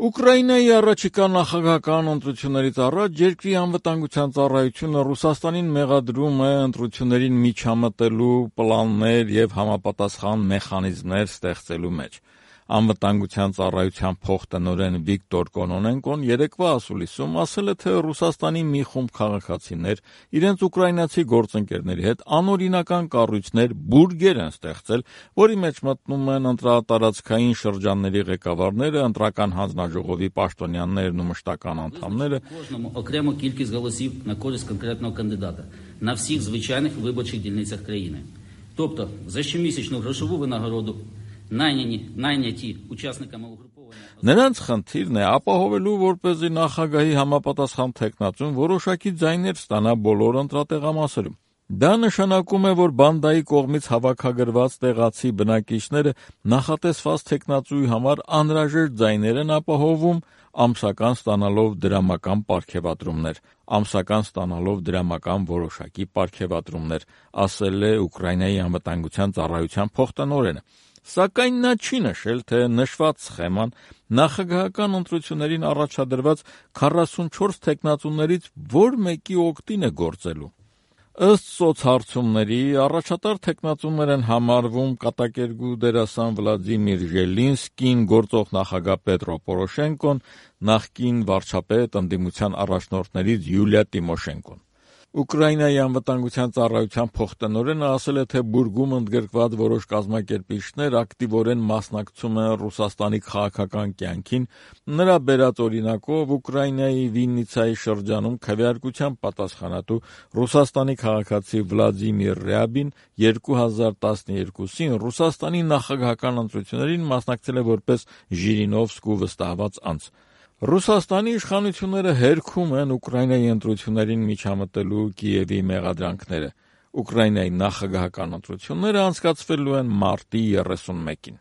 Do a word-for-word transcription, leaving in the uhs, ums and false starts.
Ուկրաինայի առաջիկա նախագահական ընտրություններից առաջ երկրի անվտանգության ծառայությունը Ռուսաստանին մեղադրում է ընտրություններին միջամտելու պլաններ և համապատասխան մեխանիզմներ ստեղծելու մեջ։ Անվտանգության ծառայության փոխտնօրեն Վիկտոր Կոնոնենկոն երեկվա ասուլիսում ասել է, թե Ռուսաստանի մի խումբ քաղաքացիներ իրենց ուկրաինացի գործընկերների հետ անօրինական կառույցներ բուրգեր են ստեղծել, որի մեջ մտնում են ընտրատարածքային շրջանների ղեկավարները, ընտրական հանձնաժողովի պաշտոնյաներն ու մշտական անդամները, окрему кількість голосів на користь конкретного кандидата на всіх звичайних виборчих дільницях країни. Тобто, за щомісячну грошову винагороду Նայնի, նայնյատի участникам угрупования. Նրանց խնդիրն է ապահովելու, որպեսզի նախագահի համապատասխան թեկնածուն որոշակի ձայներ ստանա բոլոր ընտրատեղամասերում։ Դա նշանակում է, որ բանդայի կողմից հավաքագրված տեղացի բնակիչները նախատեսված թեկնածուի համար անհրաժեշտ ձայներ են ապահովում, ամսական ստանալով դրամական պարգևատրումներ, ամսական ստանալով դրամական որոշակի պարգևատրումներ, ասել է Ուկրաինայի անվտանգության ծառայության փոխտնօրենը։ Սակայն նա չի նշել, թե նշված սխեման նախագահական ընտրություններին առաջադրված քառասունչորս թեկնածուներից որ մեկի օգտին է գործելու։ Ըստ սոցհարցումների, առաջատար թեկնածուներ են համարվում կատակերգու դերասան Վլադիմիր Ժելինսկին, գործող նախագահ Պետրո Պորոշենկոն, նախկին վարչապետ ընդդիմության առաջնորդներից Յուլիա Տիմոշենկոն։ Ուկրաինայի անվտանգության ծառայության փոխտնօրենը ասել է, թե բուրգում ընդգրկված որոշ կազմակերպիչներ ակտիվորեն մասնակցում են Ռուսաստանի քաղաքական կյանքին, նրա բերած օրինակով Ուկրաինայի Վիննիցայի շրջանում քվեարկության պատասխանատու Ռուսաստանի քաղաքացի Վլադիմիր Ռյաբին երկու հազար տասներկուսին Ռուսաստանի նախագահական ընտրություններին մասնակցել է որպես Ժիրինովսկու վստահված անձ։ Ռուսաստանի իշխանությունները հերքում են Ուկրաինայի ընտրություններին միջամտելու Կիևի մեղադրանքները։ Ուկրաինայի նախագահական ընտրությունները անցկացվելու են մարտի երեսունմեկին։